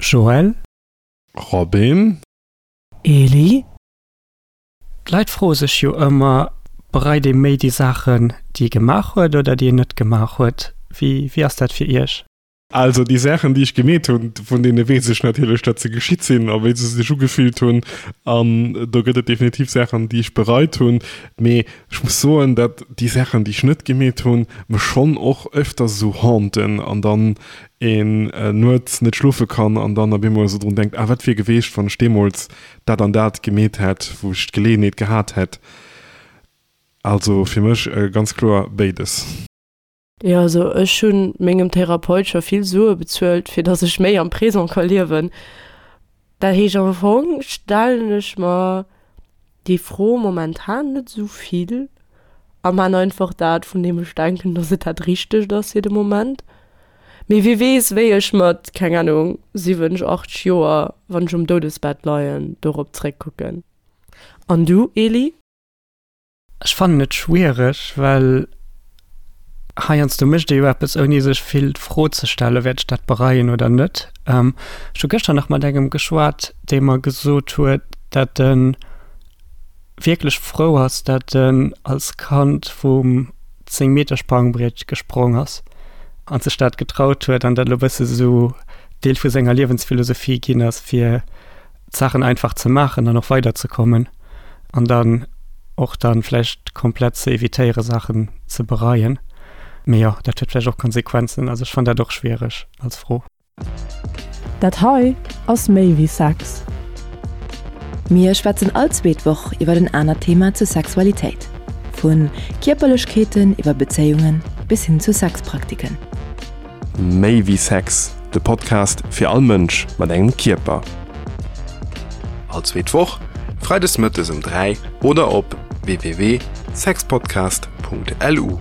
Joël. Robin. Eli. D'Leit froe sech jo ëmmer, bereit ee méi déi Saachen, déi ee gemaach huet oder déi een net gemaach huet? Wéi, wéi ass dat fir iech? Also déi Saachen, déi ech gemeet hunn, vun deene weess ech natierlech, datt se geschitt sinn a wéi se sech ugefillt hunn. An do gëtt et definitiv Saachen, déi ech bereit hunn. Mee ech muss soen, datt déi Saachen, déi ech net gemeet hunn, mech schonn och öfters esou haunten an dann een nuets net schlofe kann an dann op eemol esou drun denkt, ah wat wier geweecht, wann ech deemools dat an dat gemeet hätt, wou ech d'Geleeënheet gehat hätt. Also fir mech ganz kloer béides. Jo, also ech hu mengem Therapeut scho vill Sue bezuelt, fir datt ech méi am Présent ka liewen. Dat heescht am Fong stellen ech mer déi Fro momentan net esou vill a man einfach dat, vun deem ech denken, datt et dat Richtegt ass fir de Moment. Mee wie weess, wéi ech mat, keng Ahnung, 70, 80 Joer, wann ech um Doudesbett leien, dorop zréckkucken. An du, Eli? Ech fannen et schwiereg, well heiansdo mécht ee jo eppes, ouni sech vill d'Fro ze stellen, wäert ech dat bereien oder net. Ech hu gëschter nach mat engem geschwat, dee mer gesot huet, datt e wierklech frou ass, datt en als Kand vum 10 Meter Sprangbriet gesprong ass an sech dat getraut huet an dat elo e bësse sou Deel vu senger Liewensphilosophie ginn ass, fir d'Saachen einfach ze maachen an och weiderzekommen an dann och dann vläicht komplett ze evitéiere Saachen ze bereien. Mee jo, dat huet vläicht och Konsequenzen. Also ech fannen dat och schwiereg als Fro. Dat hei ass méi wéi Sex. Mir schwätzen all zweet Woch iwwer en anert Thema zur Sexualitéit. Vu Kierperlechkeeten iwwer Bezéiungen bis hin zu Sexpraktiken. Méi wéi Sex, de Podcast fir all Mënsch mat engem Kierper. All zweet Woch, freides mëttes um 3 oder op www.sexpodcast.lu.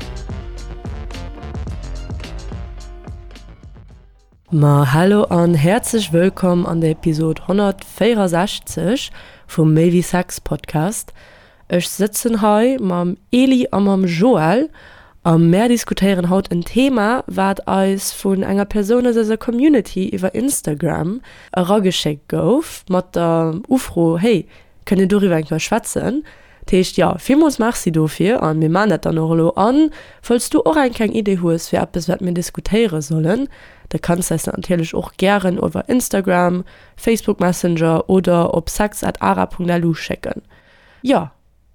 Ma hallo an häerzlech wëllkomm an der Episode 164 vum Méi wéi Sex Podcast. Ech sëtzen hei mam Eli a mam Joël a mär diskutéieren haut en Thema, wat eis vun enger Persoun aus eiser Community iwwer Instagram erageschéckt gouf, mat der Ufro, Hey, kënnt dir doriwwer eng Kéier schwätzen? Dat heescht, jo, villmools Merci dofir a mir maachen dat dann och elo. A falls du och eng kleng Idee hues fir eppes, wat mir diskutéiere sollen, da kanns de eis dat natierlech och gären iwwer Instagram, Facebook Messenger oder op sex at ara.lu schécken. Jo,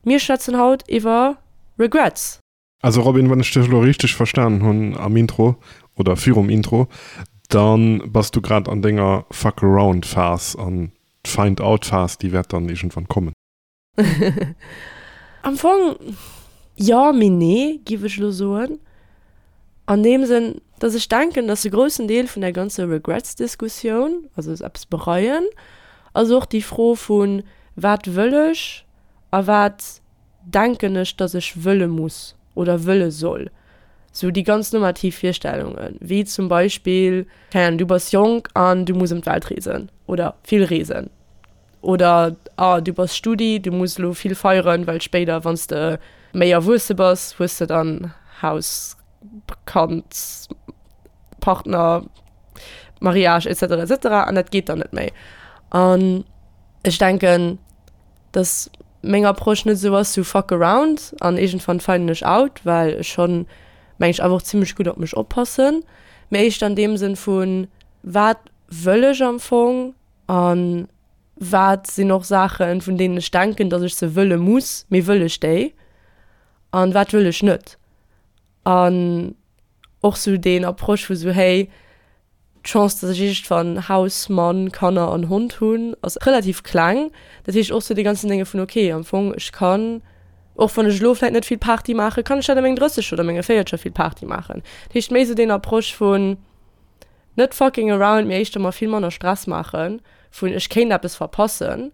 mir schwätzen haut iwwer Regrets. Also Robin, wann ech dech elo richteg verstanen hunn am Intro oder virum Intro, dann bass du grad an denger Fuck around Phase an d'Find out Phase déi wäert dann iergendwann kommen. Am Fong jo, mee nee, giff ech elo soen. An deem Sënn, dass ech denken, dass e groussen Deel vun der ganzer Regrets-Diskussioun, also eppes bereien, ass och déi Fro vu wat wëll ech a wat denken ech, dass ech wëlle muss oder wëlle soll. Sou déi ganz normativ Virstellungen, wéi zum Beispill, keng Ahnung, du bass jonk an du muss ëm d'Welt reesen oder vill reesen. Oder ah du bass Studi, du muss elo vill feieren, well spéider wann s de méi erwuesse bass, hues de dann Haus, Kand, Partner, Mariage etc etc an dat geet dann net méi. An ech denken, dass meng Approche net esou ass, sou fuck around an iergendwann finden ech out, well ech schonn meng ech awer och zimmlech gutt op mech oppassen, mee éischter an deem Sënn vun wat wëll ech am Fong A wat sinn och Saachen, vun deenen ech denken, datt ech se wëlle muss, mee wëll ech déi? A wat wëll ech net? An och sou deen Approche vu sou, hey, d'Chance, datt ech iergendwann Haus, Mann, Kanner an Hond hunn, ass relativ kleng. Dat heescht och sou dee ganzen Dénge vun, okay, am Fong, ech kann, och wann ech elo vläicht net vill Party maachen, kann ech dat a mengen 30 oder menge 40 vill Party maachen. Dat heescht méi sou deen Approche vun, Net fucking around, mee éischter mer vill manner Stress maachen vun ech kéint eppes verpassen,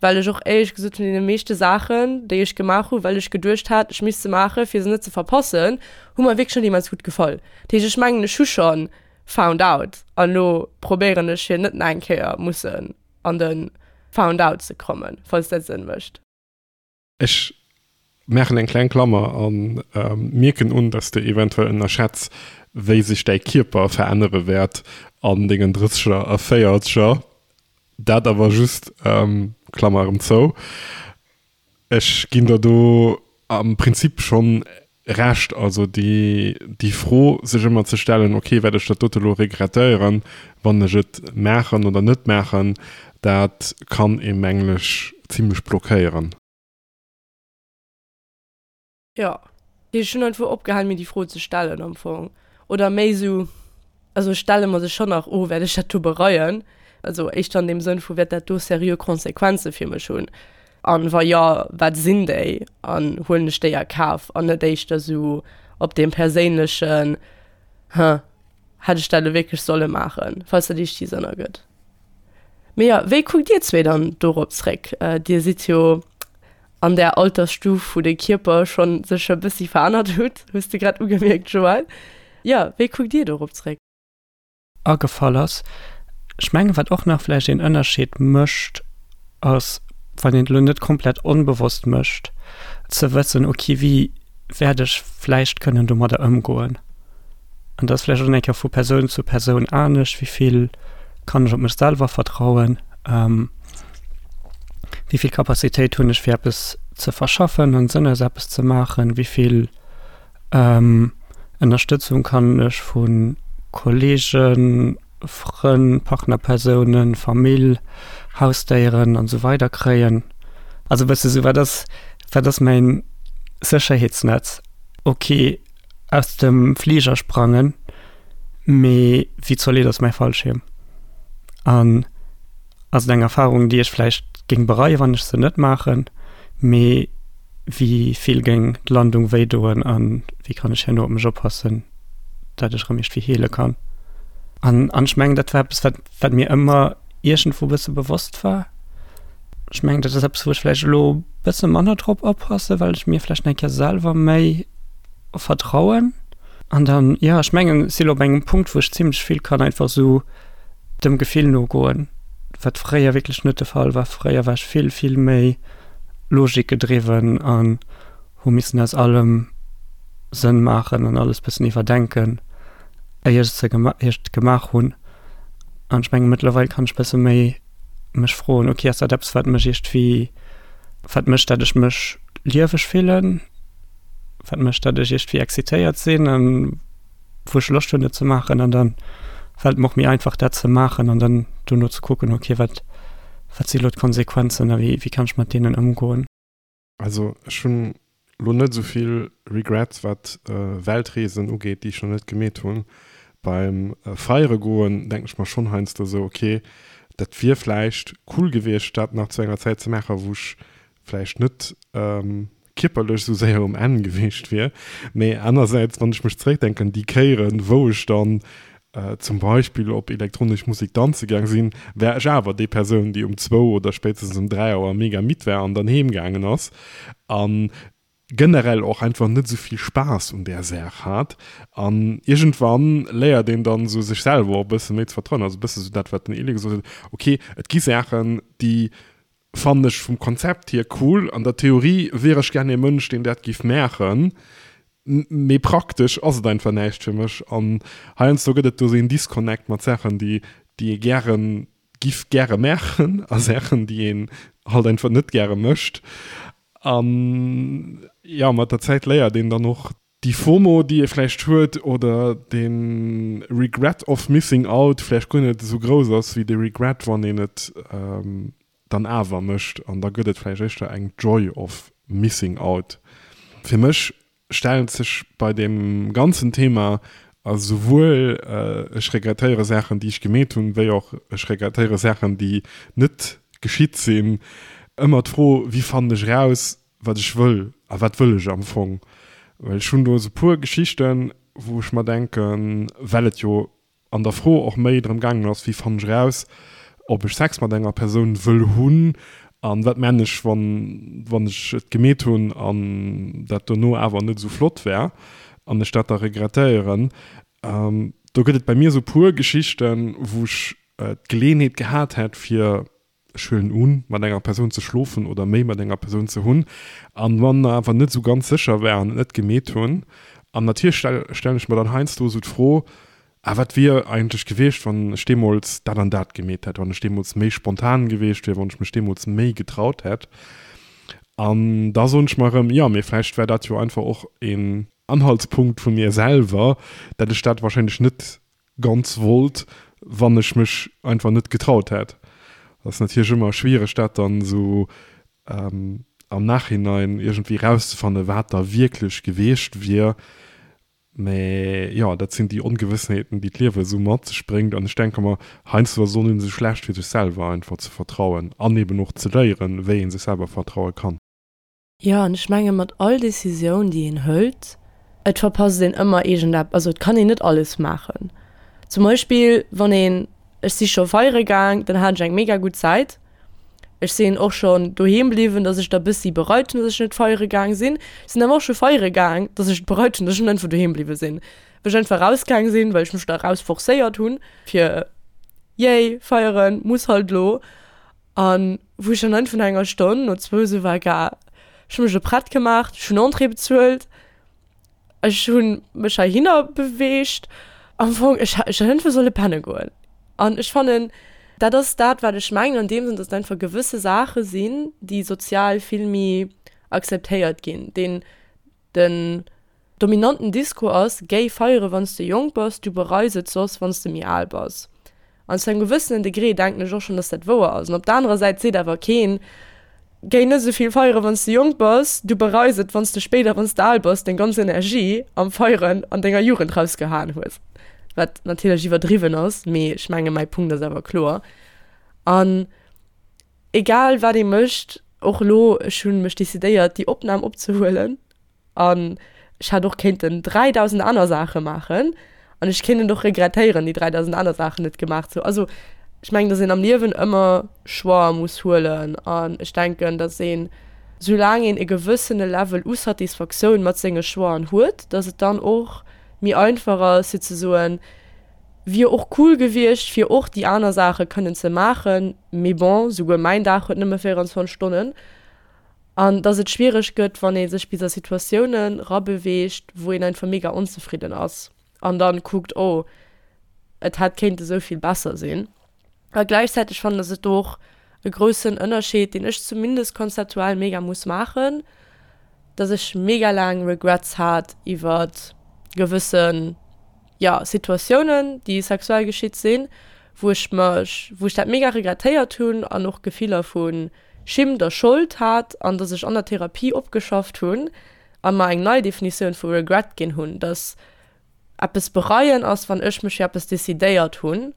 well ech och éierlech gesot vun deene meeschte Saachen, déi ech gemaach hu well ech geduecht hat, ech misst se maachen, fir se net ze verpassen, hu mer wierklech net immens gutt gefall. Dat heescht, ech mengen, ech hu scho found out an elo probéieren ech fir net nach eng Kéier mussen an de found out ze kommen, falls dat Sënn mécht. Ech maachen eng kleng Klammer a mierken un, dass de eventuell ënnerschätz, wéi sech däi Kierper verännere wäert. An dengen Drësseger a Véierzeger. Dat awer just, Klammer erëm zou, ech ginn der do am Prinzip schonn Recht. Also déi, déi Fro sech ëmmer ze stellen, ok, wäert ech dat dote lo regrettéieren, wann ech et maachen oder net maachen, dat kann ee mengen ech zimlech blockéieren. Jo, ech hunn einfach opgehal mir déi Fro ze stellen am Fong. Oder méi sou, also ech stelle mer se schonn nach, oh wäert ech dat do bereien? Also éischter an deem Sënn vu wäert dat do seriö Konsequenze fir mech hunn? An wa jo, wat sinn déi? An huelen ech déi a Kaf? An net éischter sou op deem perséinlechen, Huh, hätt ech dat elo wierklech solle maachen? Falls dat iergendwéi Sënn ergëtt. Mee jo, wéi kuckt dir zwee dann dorop zréck? Dir sidd jo an där Altersstuf, wou de Kierper schonn sech e bëssi verännert hutt, hues de grad ugemierkt, Joël. Jo, wéi kuckt Dir dorop zréck? Agefall ass. Ech mengen, wat och nach vläicht een Ënnerscheed mécht, ass, wann een et elo net komplett onbewosst mécht, ze wëssen, okay, wéi wäert ech vläicht kënnen domadder ëmgoen? An dat ass vläicht och eng Kéier vu Persoun zu Persoun anescht, wéi vill kann ech op mech selwer vertrauen, wéi vill Capacitéit hunn ech fir eppes ze verschaffen an Sënn aus eppes ze maachen, wéi vill Ënnerstëtzung kann ech vu Kolleegen, Frënn, Partnerpersounen, Famill, Hausdéieren an esou weider kréien. Also e bësse sou, wat ass, wat ass mäin Sécherheetsnetz? Ok, aus dem Fliger sprangen, mee wéi zolidd ass mäi Fallschierm? An ass et eng Erfahrung, déi ech vläicht géing bereien, wann ech se net maachen, mee wéi vill géing d'Landung wéi doen a wéi kann ech herno op mech oppassen, dat ech erëm iergendwéi heele kann? An an ech mengen, dat war eppes, wat wat mir ëmmer iergendwou e bësse bewosst war. Ech mengen, dat ass eppes, wou ech vläicht elo e bësse manner drop oppassen, well ech mir vläicht eng Kéier selwer méi vertrauen. An dann, jo, ech mengen, ech si elo op engem Punkt, wou ech zimlech vill kann einfach esou dem Gefill nogoen, wat fréier wierklech net de Fall war. Fréier war ech vill, vill méi logikgedriwwen an hu missen aus allem Sënn maachen an alles bëssen iwwerdenken, éier ech se gema éier ech et gemaach hunn. An ech mengen, mëttlerweil kann ech bësse méi mech froen, ok, ass dat eppes, wat mech iergendwéi, wat mécht, dat ech mech lieweg fillen, wat mécht, dat ech iergendwéi excitéiert sinn an wou ech Loscht hunn et ze maachen. An dann fält et mer och méi einfach dat ze maachen an dann dono ze kucken, ok, wat wat si lo d'Konsequenzen a wéi wéi kann ech mat deenen ëmgoen. Also ech hunn lo net esou vill Regrets wat Weltreesen ugeet, déi ech nach net gemeet hunn. Beim Feiere goen denken ech mer schonn heiansdo esou, ok dat wier vläicht cool gewiescht dat nach zu enger Zäit ze maachen, wou ech vläicht net kierperlech esou séier um Enn gewiescht wier. Mee anersäits, wann ech mech zeréckdenken, déi Kéieren wou ech dann zum Beispill op elektronesch Musek danze gaang sinn, war ech awer déi Persoun, déi um zwou oder spéitstens um 3 Auer mega midd war an dann heem gaangen ass an generell och einfach net esou vill Spaass un där Saach hat. An iergendwann léiert een dann esou sech selwer och e bësse méi ze vertrauen, also e bësse esou dat wat den Elie gesot huet, ok et gi Saachen, déi fannen ech vum Konzept hier cool, an der Theorie wier ech gär ee Mënsch deen dat giff maachen, mee praktesch ass et einfach näischt fir mech an heiansdo gëtt et do sou een Disconnect mat Saachen déi déi ee gären giff gäre maachen a Saachen déi een halt einfach net gäre mécht an jo mat der Zäit léiert een dann och déi FOMO, déi ee vläicht huet, oder de Regret of missing out vläicht guer net esou grouss ass wéi de Regret, wann een et dann awer mécht. An da gëtt et vläicht éischter eng Joy of missing out. Fir mech stellt sech bei deem ganzen Thema, also souwuel ech regrettéiere Saachen, déi ech gemeet hunn, wéi och ech regrettéiere Saachen, déi net geschitt sinn, ëmmer d'Fro, Wéi fannen ech eraus, wat ech wëll a wat wëll ech am Fong? Well ech hunn do esou puer Geschichten, wou ech mer denken, well et jo an der Fro och méi drëm gaangen ass, wéi fannen ech eraus, ob ech Sex mat enger Persoun wëll hunn an wat man ech, wann wann ech et gemeet hunn an dat dono awer net esou flott war an ech dat da regrettéieren. Do gëtt et bei mir esou puer Geschichten, wou ech d'Geleeënheet gehat hätt, fir ech huelen un, mat enger Persoun ze schlofen oder méi mat enger Persoun ze hunn, an wann der awer net esou ganz sécher war an et net gemeet hunn. An natierlech stellen ech mer dann heiansdo esou d'Fro, Ah, wat wier eigentlech gewiescht, wann ech deemools dat an dat gemeet hätt, wann ech deemools méi spontan gewiescht wier, wann ech mech deemools méi getraut hätt. An da soen ech mer erëm, jo, mee vläicht war dat jo einfach och een Anhaltspunkt vu mir selwer, dat ech dat wahrscheinlech net ganz wollt, wann ech mech einfach net getraut hätt. Dat ass natierlech ëmmer schwiereg, dat dann esou am Nachhinein iergendwéi erauszefannen, wat da wierklech gewiescht wier. Mä jo, dat sinn déi Ongewëssheeten, déi d'Liewe esou mat sech bréngt. An ech denke mer, heiansdo ass et och net esou schlecht, fir sech selwer einfach ze vertrauen an eben och ze léieren, wéi ee sech selwer vertraue kann. Jo, an ech menge mat all Decisioun, déi een hëlt, et verpasst een ëmmer iergendeppes. Also et kann een net alles maachen. Zum Beispill wann een, ech si scho feiere gaang, dann hat ech eng mega gutt Zäit. Ech sinn och schonn doheem bliwwen, dass ech da bëssi bereit hunn, dass ech net feiere gaang sinn. Ech sinn awer och scho feiere gaang, dass ech et bereit hunn, dass ech net einfach doheem bliwwe sinn. Well ech einfach rausgaang sinn, well ech mech da raus forcéiert hunn, fir yay, feieren, muss halt elo. An wou ech dann einfach no enger Stonn, no zwou esou war, ga, ech hu mech elo prett gemaach, ech hunn Entrée bezuelt, Ech hu mech heihinner beweegt. Am Fong, ech ech hätt einfach solle penne goen. An ech fannen, dat ass dat, wat ech mengen an deem Sënn, datt et einfach gewësse Saache sinn, déi sozial vill méi akzeptéiert ginn. Deen, den dominanten Discours ass, Géi feiere wann s de jonk bass, du bereis et soss, wann s de méi al bass. An zu engem gewëssenen Degré denken ech och schonn, dass dat wouer ass. An op der anerer Säit seet awer keen, Géi net esou vill feieren, wann s de jonk bass, du bereis et, wann s de spéider, wann s de al bass, deng ganz Energie am Feieren an denger Jugend rausgehaen hues. Wat natierlech iwwerdriwwen ass, mee ech menge mäi Punkt ass awer kloer. An egal wat ee mécht, och elo, ech hu mech decidéiert, déi Opnam opzehuelen, An ech hätt och kéinten 3.000 aner Saache maachen an ech kéint et och regrettéieren, déi 3.000 aner Saachen net gemaach ze hunn. Also ech mengen, datt een am Liewen ëmmer Choixë muss huelen an ech denken, datt een, soulaang een e gewëssene Level u Satisfaktioun mat senge Choixen huet, datt et dann och méi einfach ass fir ze soen, wier och cool gewiescht fir och déi aner Saache kënnen ze maachen, mee bon, souguer mäin Dag huet nëmme 24 Stonnen. An dass et schwiereg gëtt, wann ee sech bis a Situatiounen rabeweegt, wou een einfach mega onzefridden ass an dann kuckt, oh, et hätt kéinte sou vill besser sinn. A gläichzäiteg fannen ass et do och e groussen Ënnerscheed, deen ech zumindest konzeptuell mega muss maachen, dass ech mega laang Regrets hat iwwert gewëssen, jo, Situatiounen, déi sexuell geschitt sinn, wou ech mech, wou ech dat mega regrettéiert hunn an och Gefiller vu Schimmt a Schold hat an dass ech an der Therapie opgeschafft hunn a mer eng nei Definitioun vu Regret ginn hunn, dass eppes bereien ass, wann ech mech fir eppes decidéiert hunn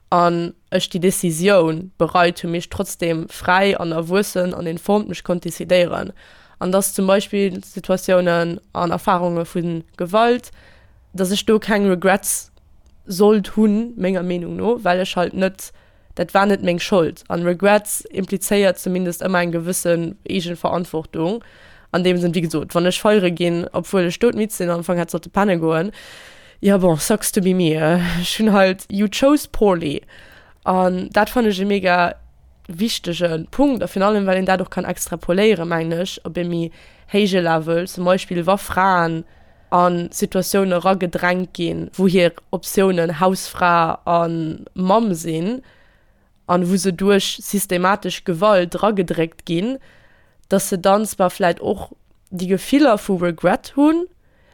an ech déi Decisioun bereit hunn, mee ech trotzdem fräi an erwuessen an informed mech konnt decidéieren an dass zum Beispill Situatiounen an Erfarunge vu Gewalt, dass ech do keng Regrets sollt hunn, menger Meenung no, well ech halt net dat war net meng Schold. An Regrets implizéiert zumindest ëmmer eng gewëssen Eegenverantwortung. An deem Sënn, wéi gesot, wann ech feiere ginn, obwuel ech doudmidd sinn an am Fong hätt sollte penne goen, jo bon, sucks to be me, ech hunn halt, you chose poorly. An dat fannen ech e mega wichtege Punkt a virun allem well een dat och kann extrapoléieren, mengen ech, op e méi héije Level, zum Beispill wa Fraen a Situatioune eragedrängt ginn, wou hir Optiounen Hausfra a Mamm sinn an wou se duerch systematesch Gewalt eragedréckt ginn, dass se dann zwar vläit och déi Gefiller vu Regret hunn,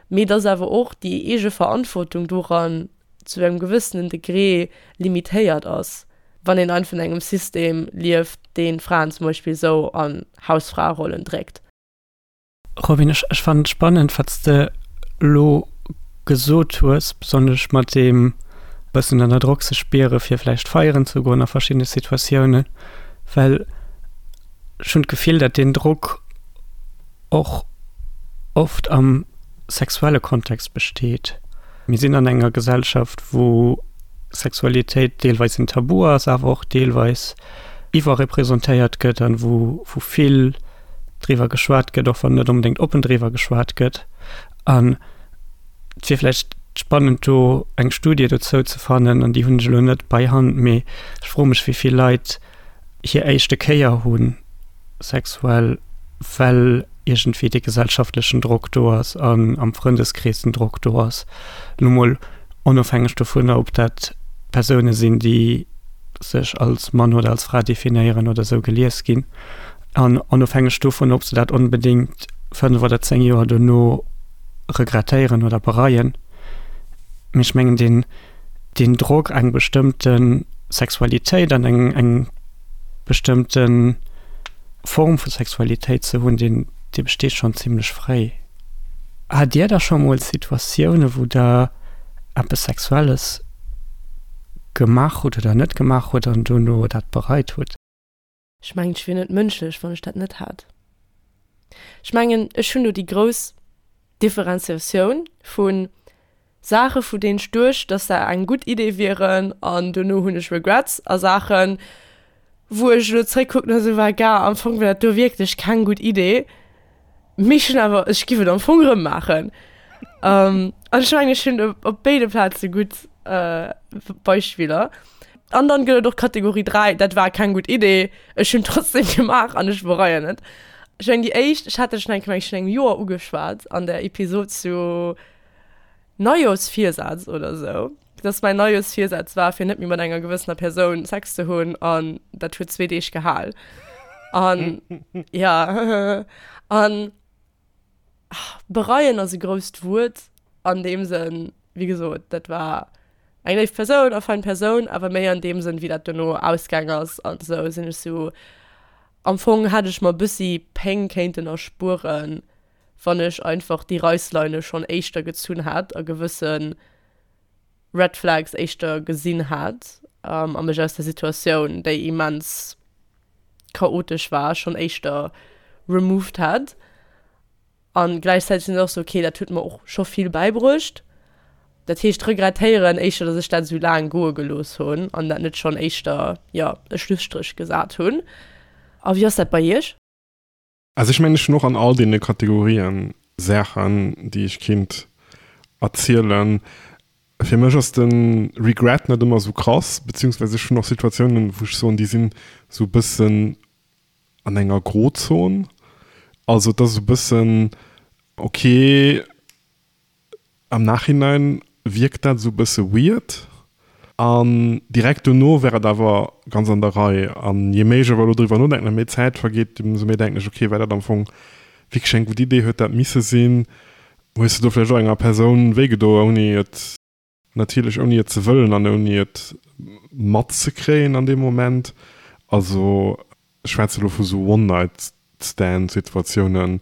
mee dass awer och déi eege Verantwortung doran zu engem gewëssenen Degré limitéiert ass, wann een einfach an engem System lieft, dee Fraen zum Beispill esou an Hausfraerollen dréckt. Robin, ech, ech fannen et spannend, wat s de elo gesot hues, besonnesch mat deem bëssen ënner Drock sech spiere fir vläicht feieren ze goen a verschiddene Situatiounen, well ech hunn d'Gefill, dat deen Drock och oft am sexuelle Kontext besteet. Mir sinn an enger Gesellschaft, wou Sexualitéit deelweis en Tabu ass, awer och deelweis iwwerrepresentéiert gëtt an wou vill driwwer geschwat gëtt, och wann net onbedéngt oppen driwwer geschwat gëtt. An et wier vläicht spannend do eng Studie dozou ze fannen, an déi hunn ech elo net bei Hand, mee ech froe mech wéi vill Leit hir éischte Kéier hu sexuell, well iergendwéi dee gesellschaftlechen Drock do ass an am Frëndeskrees den Drock do ass. Elo mol. Onofhängeg dovunner, ob dat Persoune sinn, déi sech als Mann oder als Fra definéieren oder esou gelies ginn. An onofhängeg dovun, ob se dat onbedéngt 5 oder 10 Joer dono regrettéieren oder bereien. Mee ech mengen, deen, deen Drock, eng bestëmmte Sexualitéit an eng, eng bestëmmte Form vu Sexualitéit ze hunn, deen, dee besteet schonn zimlech fréi. Hat Dir da scho mol Situatioune wou Der eppes Sexuelles gemaach hutt oder net gemaach hutt an dono dat bereit hutt? Ech mengen, ech wier net mënschlech, wann ech dat net hätt. Ech mengen, ech hunn do déi grouss Differenziatioun vu Saache vu deenen ech duecht, dass se eng gutt Idee wieren an dono hunn ech Regrets a Saachen, wou ech elo zréckkucken a sou war, Gars, am Fong war dat do wierklech keng gutt Idee, mee ech hunn awer, ech giff et am Fong erëm maachen. An ech mengen, ech hunn op béide Plaze gutt Beispiller. An dann gëtt et och Kategorie 3, dat war keng gutt Idee, ech hunn trotzdem gemaach an ech bereien et. Ech mengen déi éischt, ech hat dat schonn eng Kéier, meng ech, virun engem Joer ugeschwat an der Episod zu Neijooschvirsaz oder sou, dass mäin Neijooschvirsaz war, fir net méi mat enger gewëssener Persoun Sex ze hunn an dat huet zwee Deeg gehal. An ja, an Bereien ass e grousst Wuert an deem Sënn, wéi gesot, dat war eng léif Persoun a fein Persoun, awer méi an deem Sënn, wéi dat dono ausgaang ass an esou, sinn ech sou, am Fong hätt ech mer e bëssi Péng kéinten erspueren, wann ech einfach déi Reissleine schonn éischter gezunn hätt a gewësse Red Flags éischter gesinn hätt a mech aus der Situatioun, déi immens chaotesch war, schonn éischter removed hätt. An gläichzäiteg sinn ech och sou, okay, dat huet mer och scho vill bäibruecht. Dat heescht, regrettéieren éischter, datt ech dat esou laang goe gelooss hunn an dat net schonn éischter, jo, e Schlusstréch gesat hunn. A wéi ass dat bei iech? Also ech mengen, ech hunn och an all deene Kategorien Saachen, déi ech kinnt erzielen. Fir mech ass de Regret net ëmmer esou krass, beziehungsweise ech hunn och Situatiounen, wou ech soen, déi sinn esou e bëssen an enger Grozon. Also et ass esou e bëssen, okay, Am Nachhinein wierkt dat esou bësse weird an direkt dono wär et awer ganz an der Rei. An je méi ech awer elo driwwer nodenken a méi Zäit vergeet, ëmsou méi denken ech, ok, war dat am Fong wierklech eng gutt Idee? Huet dat misse sinn? Hues de do vläicht och enger Persoun wéigedo, ouni et natierlech ouni et ze wëllen an ouni et matzekréien an deem Moment? Also Ech schwätze lo vu sou One-Night-Stand-Situatiounen,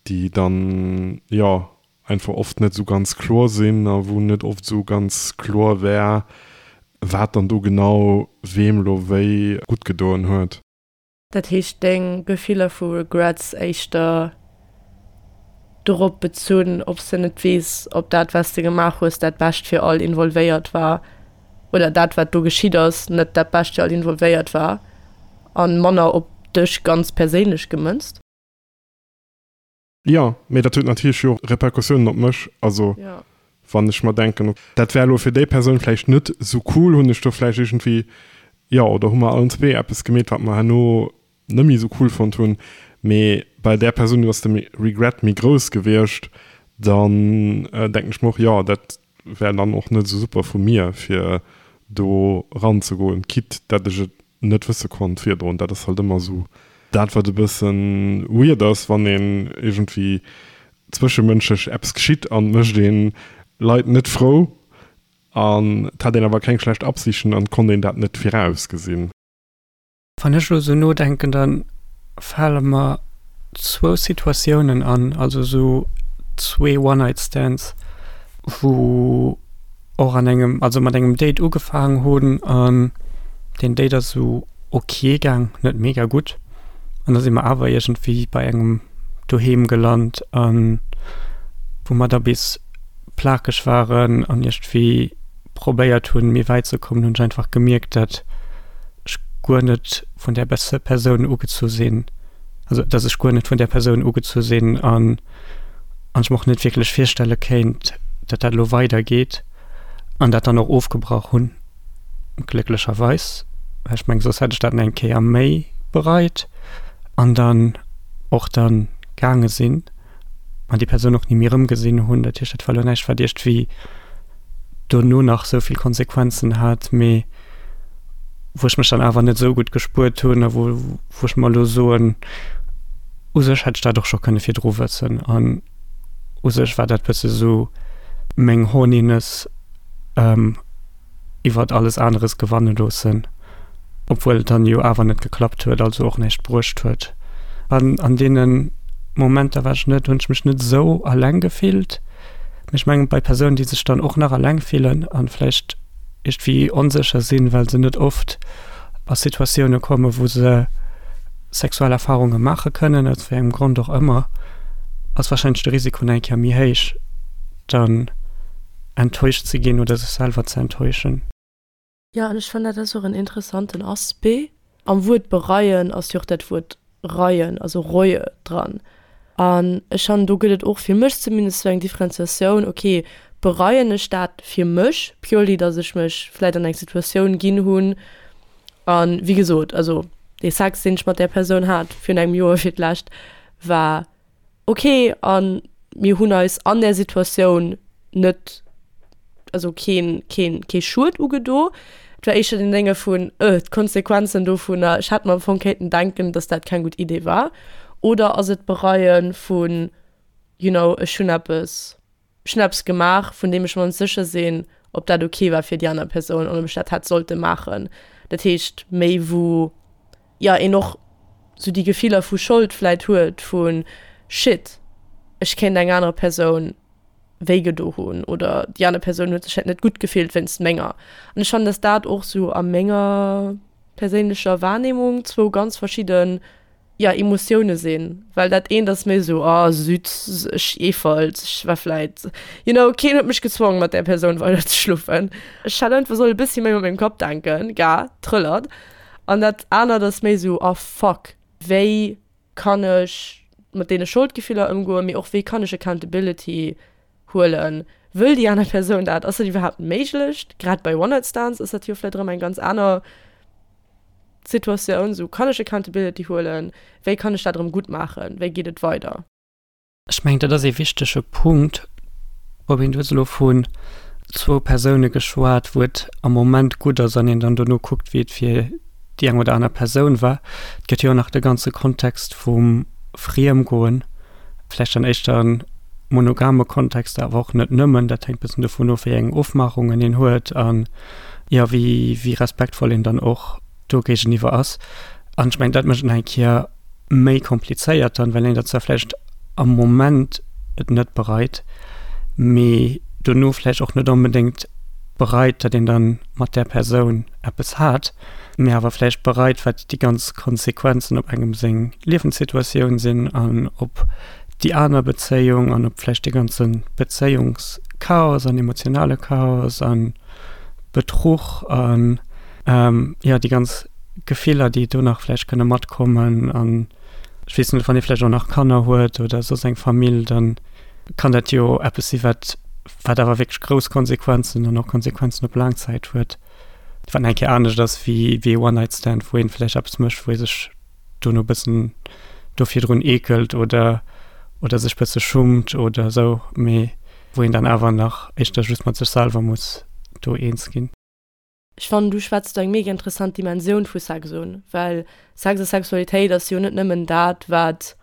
déi dann, jo, einfach oft net sou ganz kloer sinn a wou net oft sou ganz kloer wär, wat dann do genau weem lo wéi gutt gedoen huet. Dat heescht, deng Gefiller vu Regrets éischter dorop bezunn, ob s de net weess, ob dat, wat s de gemaach hues, dat Bescht fir all involvéiert war oder dat, wat do geschitt ass, net dat Bescht fir all involvéiert war a manner op dech ganz perséinlech gemënzt? Jo, mee dat huet natierlech jo och Repercussiounen op mech. Also wann ech mer denken, dat wär elo fir déi Persoun vläicht net esou cool, hunn ech do vläicht iergendwéi, jo, oder hu mer allen zwee eppes gemeet, wat mer herno net méi esou cool fonnt hunn, mee bei där Persoun ass de Regret méi grouss gewiescht, dann denken ech mer och, jo, dat wär dann och net esou super vu mir, fir do eranzegoen, quitte dat ech et net wësse konnt virdrun. Dat ass halt ëmmer esou dat, wat e bësse weird ass, wann een iergendwéi zwëschemënschlech eppes geschitt an et mécht ee Leit net frou an et hat een awer keng schlecht Absichten an et konnt een dat net virausgesinn. Wann ech elo esou nodenken, da fale mer zwou Situatiounen an, also esou zwee One-Night-Stands, wou och an engem, also mat engem Date ugefaangen hunn an deen Date ass esou ok gaang, net mega gutt. An da si mer awer iergendwéi bei engem doheem gelant an wou mer da bis plakeg waren an iergendwéi probéiert hunn, méi wäit ze kommen, hunn ech einfach gemierkt, dat ech guer net vun där Persoun ugezu sinn, also dass ech guer net vun där Persoun ugezu sinn an an ech mer och net wierklech virstelle kéint, dat dat elo weidergeet an dat dann och ofgebrach hunn, glécklecherweis, well ech mengen, soss hätt ech dat nach eng Kéier méi bereit an dann och dann gaange sinn an déi Persoun och ni méi erëmgesinn hunn. Dat heescht, dat war elo näischt, wat iergendwéi. dono nach esou vill Konsequenzen hat, mee wou ech mech dann awer net esou gutt gespuert hunn a wou wou ech mer elo soen, u sech hätt ech dat och scho kënne virdru wëssen an u sech war dat bësse sou meng Horniness iwwert alles aneres gewanne loossen, obwuel et dann jo awer net geklappt huet, also och näischt bruecht huet. An an deene Momenter war ech net, hunn ech mech net esou alleng gefillt, mee ech mengen bei Persounen, déi sech dann och nach alleng fillen an vläicht iergendwéi onsécher sinn, well se net oft a Situatioune kommen, wou se sexuell Erfarunge maache kënnen, aus wéi engem Grond och ëmmer, ass warscheinlech de Risiko nach eng Kéier méi héich, dann enttäuscht ze ginn oder sech selwer ze enttäuschen. Jo, an ech fannen, dat ass och en interessanten Aspect. Am Wuert bereien ass jo och dat Wuert reien, also Reue dran. An ech fannen, do gëtt et och fir mech zumindest esou eng Differenziatioun, okay, bereien ech dat fir mech purely, datt ech mech vläit an eng Situatioun ginn hunn a wéi gesot, also dee Sex, deen ech mat där Persoun hat virun engem Joer fir d'lescht, war ok an mir hunn eis an där Situatioun net, also keen, keen, kee Schued ugedo. Et war éischter den Dénge vun, euh, d'Konsequenzen dovunner, ech hätt mer am Fong kéinten denken, dass dat keng gutt Idee war. Oder ass et d'Bereie vun, you know, ech hunn eppes Ech hunn eppes gemaach, vun deem ech mer net sécher sinn, ob dat ok war fir déi aner Persoun an ob ech dat hätt sollte maachen. Dat heescht méi wou, jo, een och sou déi Gefiller vu Schold vläit huet vu shit, ech kéint eng aner Persoun wéi gedo hunn oder déi aner Persoun huet sech vläit net gutt gefillt wéinst menger. An ech fannen, dass dat och sou a menger perséinlecher Wahrnehmung zwou ganz verschidde jo, Emotioune sinn, well dat eent ass méi esou, oh süz, ech eefalt, ech war vläit, you know, keen huet mech gezwongen mat där Persoun weider ze schlofen, ech hätt einfach solle e bëssi méi mat mengem Kapp denken, ga, trëllert. An dat anert ass méi esou, oh fuck, wéi kann ech mat deene Scholdgefiller ëmgoen, mee och wéi kann ech Accountability huelen, wëll déi aner Persoun dat, ass dat iwwerhaapt méiglech, grad bei One-Night-Stands ass dat jo vläit erëm eng ganz aner Situatioun, sou kann ech Accountability huelen, wéi kann ech dat erëm gutt maachen, wéi geet et weider? Ech mengen, dat ass ee wichtege Punkt. Robin, du hues elo vun zwou Persoune geschwat, wou et am Moment gutt ass an een dann dono kuckt, wéi et fir déi eng oder aner Persoun war. Et gëtt jo och nach de ganze Kontext vum Friemgoen, vläicht dann éischter e monogame Kontext, awer och net nëmmen. Dat hänkt e bëssen dovun of, wéi eng Ofmaachungen een huet an, jo, wéi, wéi respektvoll een dann och do géigeniwwer ass. An ech mengen, dat mécht et nach eng Kéier méi komplizéiert dann, well een dat zwar vläicht am Moment et net bereit, mee dono vläicht och net onbedéngt bereit, datt een dann mat där Persoun eppes hat, mee awer vläicht bereit, wat déi ganz Konsequenzen op engem seng Liewenssituatioun sinn an op déi aner Bezéiung an op vläicht dee ganze Bezéiungschaos an emotionale Chaos a Betruch an, jo, déi ganz Gefiller, déi do nach vläicht kënne matkommen. An ech weess net, wann ee vläicht och nach Kanner huet oder soss eng Famill, dann kann dat jo eppes si wat wat awer wierklech grouss Konsequenzen an och Konsequenzen op laang Zäit huet, wat nach eng Kéier anescht ass wéi wéi e One-Night-Stand, wou een vläicht eppes mécht, wou ee sech dono e bëssen do virdrun eekelt oder oder sech bësse schummt oder esou, mee wou een dann awer nach éischter just mat sech selwer muss do eens ginn. Ech fannen, du schwätz do eng mega interessant Dimensioun vu Sex un, well Sex a Sexualitéit ass jo net nëmmen dat, wat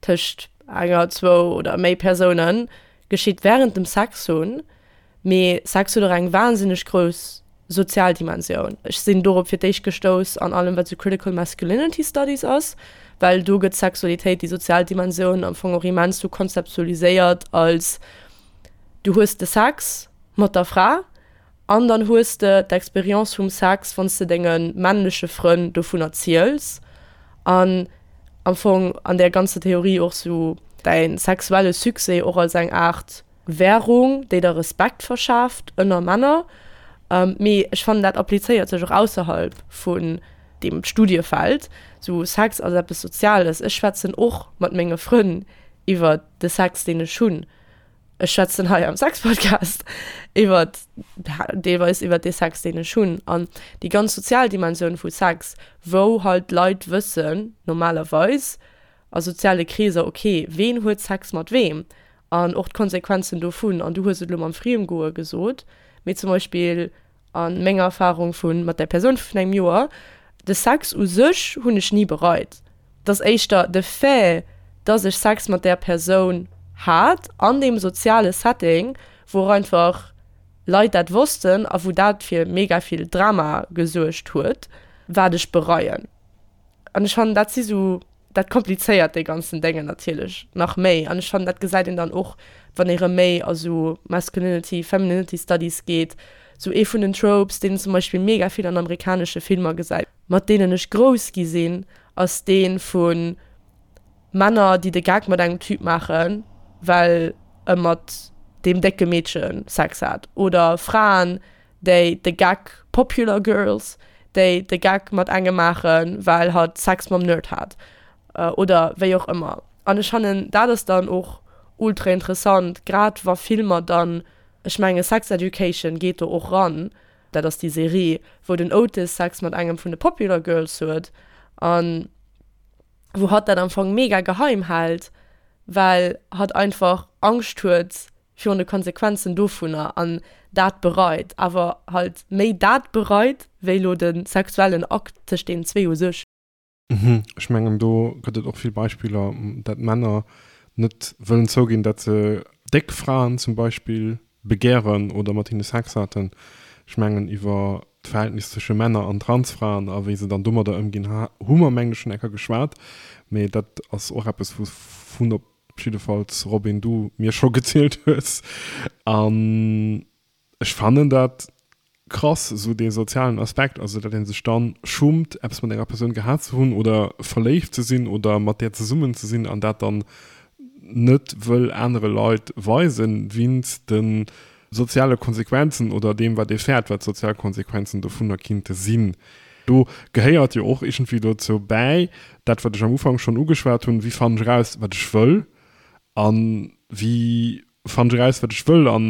tëscht enger, zwou oder méi Persoune geschitt wärend dem Sex hunn, mee Sex huet och eng wahnsinneg grouss sozial Dimensioun. Ech sinn dorop fir d'éischt gestouss an allem, wat sou Critical Masculinity Studies ass, well do gëtt Sexualitéit, déi sozial Dimensioun, am Fong och immens sou konzeptualiséiert als, du hues de Sex mat der Fra An dann hues de d'Expérience vum Sex, wann s de denge männleche Frënn dovun erziels an am Fong an där ganzer Theorie och sou däi sexuelle Succès och als eng Aart Währung, déi der Respekt verschaaft ënner Männer. Mee ech fannen, dat applizéiert sech och ausserhalb vun deem Studiefeld. Sou Sex ass eppes Soziales. Ech schwätzen och mat menge Frënn iwwer de Sex, deen ech hunn. Ech schwätzen hei am Sexpodcast iwwer deelweis iwwer dee Sex, deen ech hunn an déi ganz sozial Dimensioun vu Sex, wou halt d'Leit wëssen normalerweis a soziale Kreeser, okay, ween huet Sex mat weem? An och d'Konsequenzen dovun. An du hues et elo mam Friemgoe gesot, mee zum Beispill a menger Erfahrung vu mat där Persoun vun engem Joer, de Sex u sech hunn ech ni bereit. Et ass éischter de Fait, dass ech Sex mat där Persoun hat an deem soziale Setting, wou och einfach Leit dat wossten a wou dat fir mega vill Drama gesuergt huet, wat ech bereien. An ech fannen, dat si sou, dat komplizéiert dee ganzen Déngen natierlech nach méi. An ech fannen, dat gesäit een dann och, wann ee rëm méi a sou Masculinity, Femininity Studies geet, sou ee vun den Tropes, deen een zum Beispill mega vill an amerikanesche Filmer gesäit, mat deenen ech grouss gi sinn, ass dee vu Männer, déi de Geck mat engem Typ maachen, well e mat deem décke Meedche Sex hat, oder Fraen, déi de Geck, popular girls, déi de Geck mat engem maachen, well hatt Sex mam Nerd hat, oder wéi och ëmmer. An ech fannen, dat ass dann och ultra interessant, grad wa Filmer dann, ech menge Sex Education geet do och ran, dat ass déi Serie, wou den Otis Sex mat engem vun de popular girls huet, an wou hatt dat am Fong mega geheim hält, well hatt einfach Angscht huet virun de Konsequenzen dovunner an dat bereit, awer halt méi dat bereit, wéi lo de sexuellen Akt tëscht deenen zwee u sech. Mhm, ech mengen do gëtt et och vill Beispiller, dat Männer net wëllen zouginn, dat se déck Fraen zum Beispill begären oder mat hinne Sex haten. Ech mengen iwwer d'Verhältnis zwësche Männer an Transfraen a wéi se dann domadder ëmginn, hu mer mengen ech schonn eng Kéier geschwat, mee dat ass och eppes wouvun op jiddefalls Robin du mir scho gezielt hues. An ech fannen dat krass, esou dee sozialen Aspekt, also datt ee sech dann schummt eppes mat enger Persoun gehat ze hunn oder verléift ze sinn oder mat där zesummen ze sinn an dat dann net wëll anere Leit weisen, winst de soziale Konsequenzen oder deem wat ee fäert wat d'sozial Konsequenzen dovunner kinnte sinn. Do gehéiert jo och iergendwéi dozou bäi, dat wat ech am Ufank schonn ugeschwat hunn, wéi fannen ech eraus wat ech wëll a wéi fannen ech eraus wat ech wëll an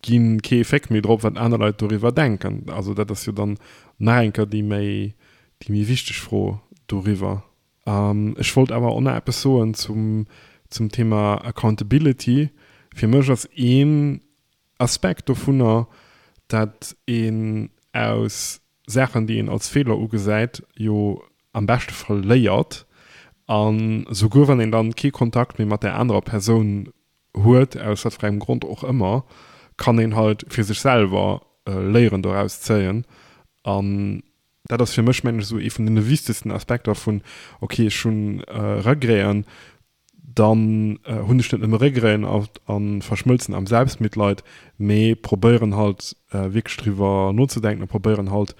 ginn kee Féck méi drop wat aner Leit doriwwer denken. Also dat ass jo dann nach eng Kéier déi méi déi méi wichteg Fro doriwwer. Ech wollt awer och nach eppes soen zum zum Thema Accountability. Fir mech ass een Aspekt dovunner, dat een aus Saachen, déi een als Feeler ugesäit, jo am beschte Fall léiert. An souguer wann een dann kee Kontakt méi mat där anerer Persoun huet, aus wat fir engem Grond och ëmmer, kann een halt fir sech selwer Léieren doraus zéien. An dat ass fir mech, mengen ech, esou ee vun deene wichtegsten Aspekter vun, okay, ech hunn Regreten, dann hunn ech net nëmme Regreten a verschmëlzen am Selbstmitleid, mee probéieren halt wierklech driwwer nozedenken a probéieren halt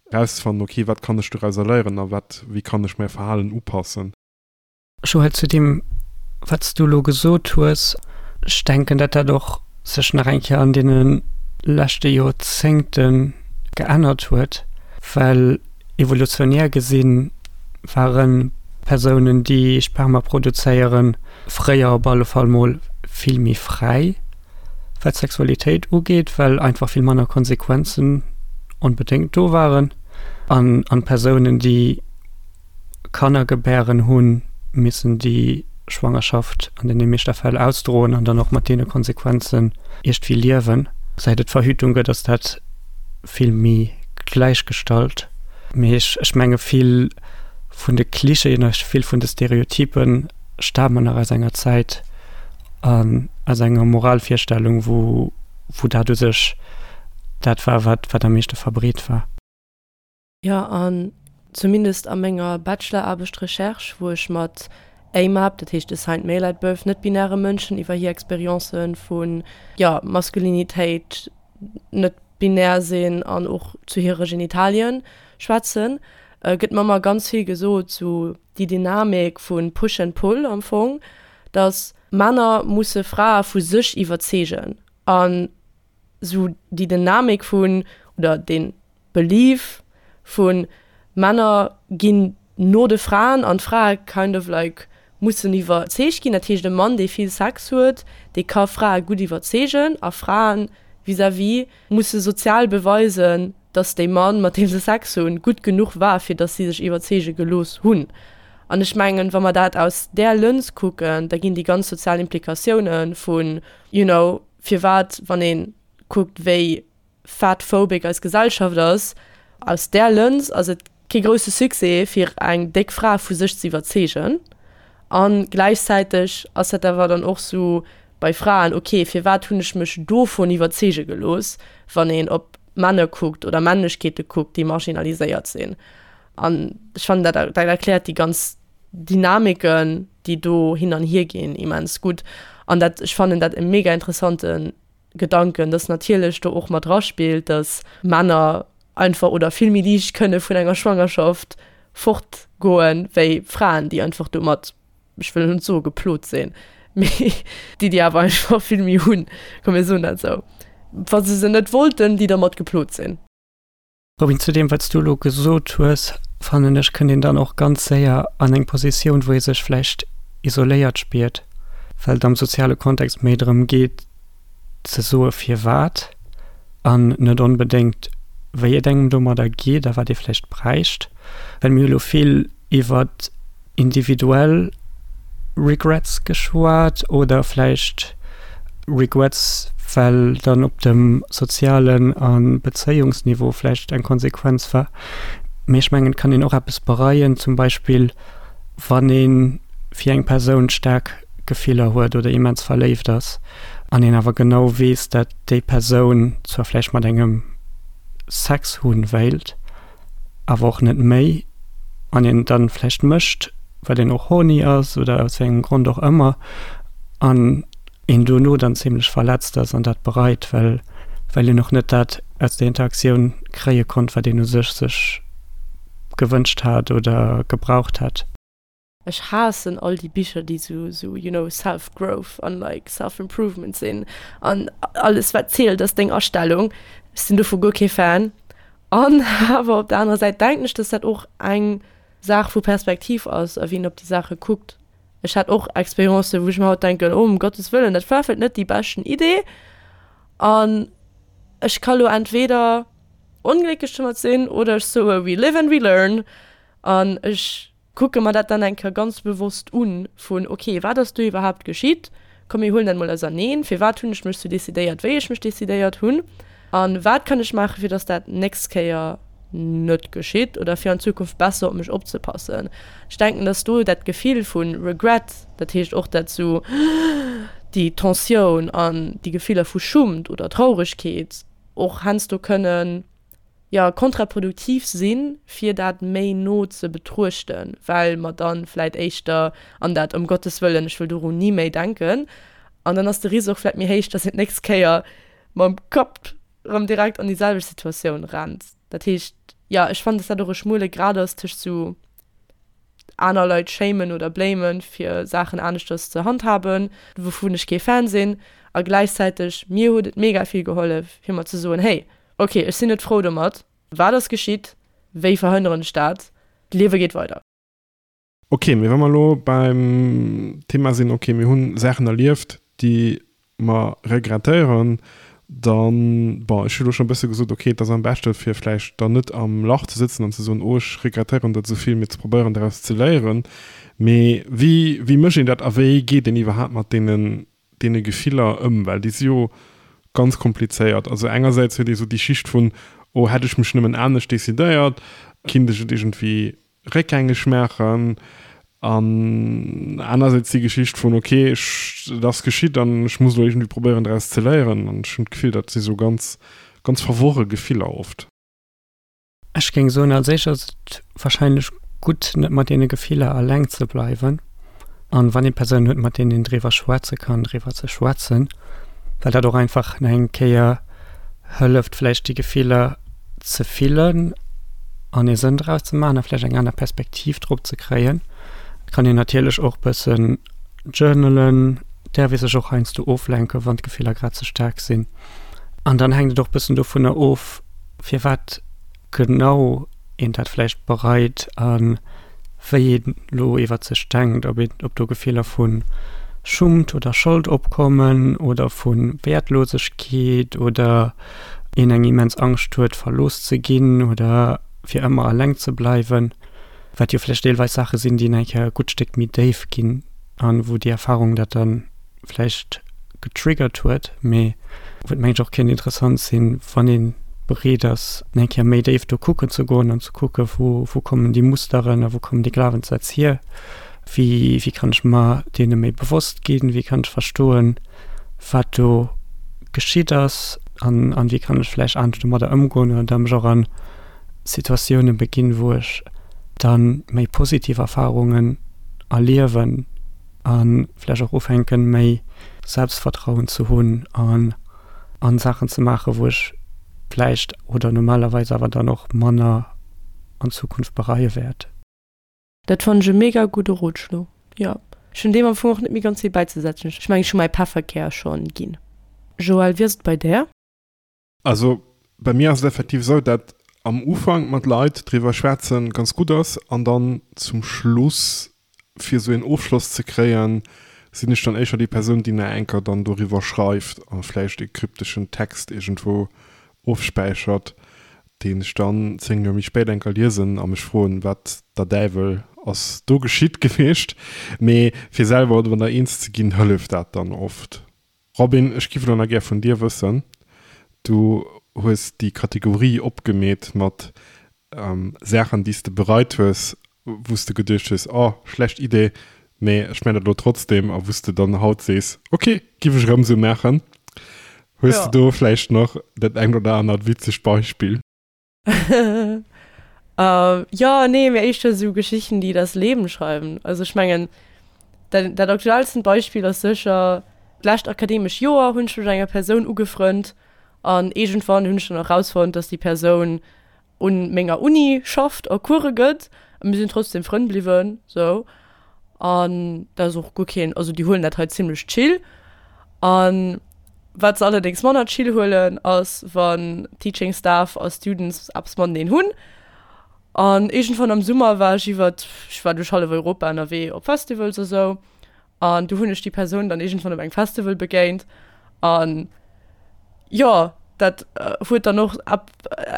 erauszefannen, okay, wat kann ech dorauser léieren a wat, wéi kann ech mäi Verhalen upassen. Joël, zu deem wat s du elo gesot hues, ech denken, datt dat och sech nach eng Kéier an deene leschte Joerzéngte geännert huet, well evolutionär gesi ware Persounen, déi Sperma produzéieren, fréier op alle Fall mol vill méi fräi, wat d'Sexualitéit ugeet, well einfach vill manner Konsequenzen onbedéngt do waren. An Persounen, déi Kanner gebären hunn, missen déi Schwangerschaft an deene meeschter Fäll ausdroen an dann och mat deene Konsequenzen iergdwéi liewen. Säit et Verhütung gëtt, ass dat vill méi gläichgestallt. Mee ech, ech menge vill vun de Klischeeën a vill vun de Stereotypen stamen nach aus enger Zäit an aus enger Moralvirstellung, wou, wou dat u sech dat war, wat, wat am meeschte verbreet war. Jo, an zumindest a menger Bacheloraarbecht Recherche, wou ech mat AMAB, dat heescht Assigned Male at Birth, net-binäre Mënschen iwwer hir Experience vu, jo, Maskulinitéit, net binär sinn an och zu hire Genitalien schwätzen, gëtt mer ëmmer ganz vill gesot, sou déi Dynamik vu Push and Pull am Fong, dass Männer musse Frae vu sech iwwerzeegen an sou déi Dynamik vun, oder deen Belief vu Männer ginn no de Fraen an d'Frae kind of like mussen iwwerzeegt ginn. Dat heescht e Mann dee vill Sex huet, dee ka Frae gutt iwwerzeegen a Fraen vis-à-vis musse sozial beweisen, datt dee Mann mat deem se Sex hunn gutt genuch war fir datt si sech iwwerzeege gelooss hunn. An ech mengen, wa mer dat aus där Lëns kucken, da ginn déi ganz sozial Implikatiounen vun, you know, firwat, wann ee kuckt, wéi fatphobic eis Gesellschaft ass, aus där Lëns ass et kee grousse Succès, fir eng déck Fra vu sech ze iwwerzeegen. A gläichzäiteg ass dat awer dann och sou bei Fraen, ok, firwat hunn ech mech dovun iwwerzeege gelooss, wann een op Männer kuckt oder Männlechkeete kuckt, déi marginaliséiert sinn. An ech fannen, dat dat erkläert déi ganz Dynamiken, déi do hin an hier ginn, immens gutt. An dat, ech fannen dat e mega interessante Gedanken, dass natierlech do och mat draspillt, dass Männer einfach oder vill méi liicht kënne vun enger Schwangerschaft fortgoen, wéi Fraen, déi einfach domat, ech wëll net soe geplot sinn, mee déi, déi awer einfach vill méi hunn, komm mir soen dat esou, wa se se net wollten, déi dermat geplot sinn. Robin, zu deem wat s du elo gesot hues, fannen ech, kënnt een dann och ganz séier an eng Positioun, wou ee sech vläicht isoléiert spiert, well et am soziale Kontext méi drëm geet ze soe firwat an net onbedéngt wéi et engem domadder geet a wat ee vläicht bräicht. Well mir hu lo vill iwwer individuell Regrets geschwat oder vläicht Regrets, well dann op dem sozialen a Bezéiungsniveau vläicht eng Konsequenz war. Mee ech mengen, et kann een och eppes bereien, zum Beispill wann ee fir eng Persoun staark Gefiller huet oder immens verléift ass an een awer genau weess, dat déi Persoun zwar vläicht mat engem Sex hunn wéilt, awer och net méi, an een et dann vläicht mécht, well een och horny ass oder aus wéi engem Grond och ëmmer, an een dono dann zimlech verletzt ass an dat bereit, well well een och net dat aus der Interaktioun kréie konnt, wat een u sech sech gewënscht hat oder gebraucht hätt. Ech haassen all déi Bicher déi sou sou you know self growth an like self improvement sinn an alles wat zielt ass deng Astellung. Ech sinn dovu guer kee Fan. An awer op der anerer Säit denken ech, dass dat och eng Saach vu Perspektiv ass a wien op déi Saache kuckt. Ech hat och Experiencen wou ech mer haut denken, oh um Gottes Wëllen dat war vläicht net déi beschten Idee an ech ka lo entweder onglécklech domat sinn oder ech soe we live and we learn an ech kucke mer dat dann eng Kéier ganz bewosst un, vun ok, wat ass do iwwerhaapt geschitt, komm mir huelen dat mol auserneen, firwat hunn ech mech sou decidéiert, wéi ech mech decidéiert hunn a wat kann ech maachen, fir datt dat nächst Kéier net geschitt oder fir an Zukunft besser op mech opzepassen. Ech denken, datt do dat Gefill vu Regret, dat heescht och dat sou déi Tensioun an déi Gefiller vu Schummt oder Trauregkeet och heiansdo kënnen, jo, kontraproduktiv sinn, fir dat méi no ze betruechten, well mer dann vläit éischter an dat ëm Gottes wëllen, ech wëll dorun ni méi denken, an dann ass de Risk och vläit méi héich, dass een d'nächst Kéier mam Kapp erëm direkt an déi selwecht Situatioun rennt. Dat heescht, jo, ech fannen, dass dat och e schmuele Grad ass tëscht sou aner Leit shamen oder blamen, fir Saachen aneschters ze handhaben, wouvun ech kee Fan sinn, a gläichzäiteg mir huet et mega vill gehollef, fir mer ze soen, hey, Ok, ech sinn net frou domat. Wat ass geschitt? Wéi verhënneren ech dat? D'Liewe geet weider. Ok, mee wa mer elo beim Thema sinn, ok, mir hunn Saachen erlieft, déi mer regrettéieren, dann, bon, ech hu elo schonn e bësse gesot, ok, et ass am beschte fir vläicht dann net am Lach ze sëtzen an ze soen, oh, ech regrettéieren dat esou vill, mee ze probéieren daraus ze léieren. Mee wéi, wéi mécht een dat a wéi geet een iwwerhaapt mat deenen deene Gefiller ëm, well déi si jo ganz komplizéiert. Also engersäits huet ee sou déi Schicht vun, oh hätt ech mech nëmmen anescht decidéiert, kinnt ech et iergendwéi réckgängeg maachen, an anersäits déi Geschicht vun, ok ech, et ass geschitt an ech muss elo iergendwéi probéieren draus ze léieren. An ech hunn d'Gefill, dat si sou ganz, ganz verworre Gefiller oft. Ech géing soen, als éischt ass et wahrscheinlech gutt, net mat deene Gefiller eleng ze bleiwen. An wann ee Persounen huet, mat deenen een driwwer schwätze kann, driwwer ze schwätzen, well dat och einfach nach eng Kéier hëlleft, vläicht déi Gefiller ze fillen an ee Sënn draus ze maachen a vläicht eng aner Perspektiv drop ze kréien. Et kann een natierlech och bëssen journalen, däerf ee sech och heiansdo oflenken, wann d'Gefiller grad ze staark sinn. An dann hänkt et och bëssen dovunner of, firwat genau een dat vläicht bereit a wéi een elo iwwer sech denkt, ob een, ob do Gefiller vu Schummt oder Schold opkommen oder vu Wäertlosegkeet oder een eng immens Angscht huet, verlooss ze ginn oder fir ëmmer eleng ze bleiwen. Wat jo vläicht deelweis Saache sinn, déi nach eng Kéier e gutt Stéck méi déif ginn an wou déi Erfahrung dat dann vläicht getriggert huet, mee wou et mengen ech och kéint interessant sinn, wann ee bereet ass, nach eng Kéier méi déif do kucken ze goen an ze kucken, wou wou kommen déi Musteren a wou kommen déi Glawenssätz hier, wéi wéi kann ech mer deene méi bewosst ginn, wéi kann ech verstoen, wat do geschitt ass an an wéi kann ech vläicht anescht domadder ëmgoen oder da mech och an Situatioune beginn, wou ech da méi positiv Erfarungen erliewen a vläicht och ufänken, méi Selbstvertrauen ze hunn an an Saachen ze maachen, wou ech vläicht oder normalerweis awer dann och manner an Zukunft bereie wäert. Dat fannen ech e mega gudde Rotschlo, jo. Ech hunn deem am Fong och net méi ganz vill bäizesetzen. Ech mengen, ech hu mäi Pefferkär schonn ginn. Joël, wéi ass et bei där? Also bei mir ass et effektiv esou, dat am Ufank mat Leit driwwer schwätzen ganz gutt ass an dann zum Schluss fir esou een Ofschloss ze kréien, sinn ech dann éischer déi Persoun, déi nach enker dann doriwwer schreift a vläicht e krypteschen Text iergendwou ofspäichert, deen ech dann 10 Joer méi spéit enker liesen a mech froen, wat der Däiwel ass do geschitt gewiescht. Mee fir selwer domadder eens ze ginn, hëlleft dat dann oft. Robin, ech giff elo nach gär vun dir wëssen, du hues déi Kategorie opgemeet mat Saachen, déi s de bereit hues, wou s de geduecht hues, oh, schlecht Idee, mee ech man dat elo trotzdem, a wou s de dann haut sees, ok, giff ech erëm esou maachen. Hues de do vläicht nach dat engt oder anert witzegt Beispill? Jo, nee, mee éischter esou Geschichten, déi das Leben schreiben. Also ech mengen, dat, dat aktuellsten Beispill ass sécher, d'lescht akademesch Joer hunn ech mech enger Persoun ugefrënnt an iergendwann hunn ech dann och rausfonnt, dass déi Persoun un menger Uni schafft a Course gëtt a mir sinn trotzdem Frënn bliwwen sou an dat ass och guer keen, also déi huelen dat hei zimlech chill. An wat se allerdéngs manner chill huelen ass wann Teaching Staff a Students eppes mateneen hunn. An iergendwann am Summer war ech iwwert, ech war duerch hallef Europa ënnerwee op Festivals a sou An du hunn ech déi Persoun dann iergendwann op engem Festival begéint. An jo, dat huet dann och ab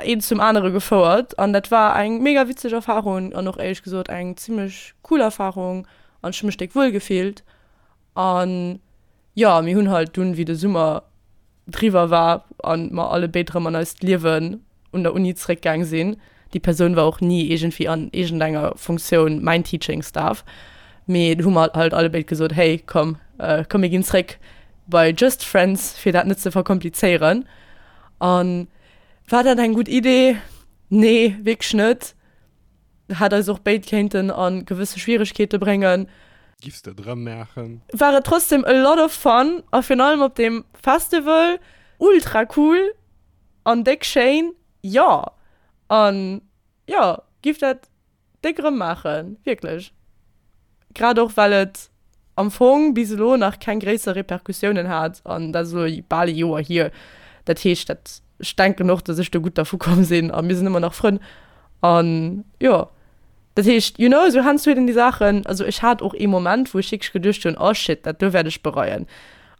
eent zum anere gefouert. An dat war eng mega witzeg Erfarung an och éierlech gesot eng zimmlech cool Erfarung. An ech hu mech déck wuel gefillt. An jo, mir hunn halt dunn, wéi de Summer driwwer war an mer allebéid rëm an eist Liewen un der Uni zréckgaang sinn. Déi Persoun war och ni iergendwéi an iergendenger Funktioun mäin Teaching Staff, mee do hu mer halt allebéid gesot, hey komm, komm mir ginn zréck bei just friends, fir dat net ze verkomplizéieren. An war dat eng gutt Idee? Nee, wierklech net. Hätt eis och béid kéinten a gewësse Schwieregkeete bréngen. Giffs de et erëm maachen? War et trotzdem a lot of fun a virun allem op deem Festival ultra cool an déck schéin, jo. An jo, giff dat déck erëm maachen, wierklech. Grad och well et am Fong bis elo nach keng gréisser Repercussiounen hat an dat ass elo bal e Joer hier. Dat heescht, dat, ech denken och, datt ech do gutt dervu komm sinn a mir sinn ëmmer nach Frënn an jo. Dat heescht, you know, esou heiansdo huet een déi Saachen, also ech hat och ee Moment, wou ech wierklech geduecht hunn, oh shit, dat do wäert ech bereien